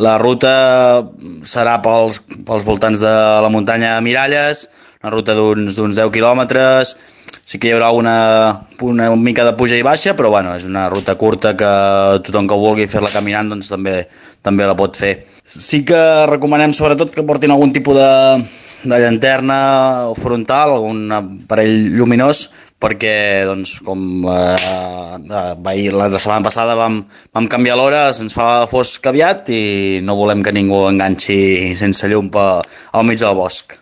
La ruta serà pels voltants de la muntanya Miralles, una ruta d'uns 10 quilòmetres. Sí que hi haurà una mica de puja i baixa, però bueno, és una ruta curta que tothom que vulgui fer-la caminant doncs també la pot fer. Sí que recomanem sobretot que portin algun tipus de llanterna frontal, algun aparell lluminós, perquè doncs, com la setmana passada vam canviar l'hora, se'ns fa fosc aviat i no volem que ningú enganxi sense llum al mig del bosc.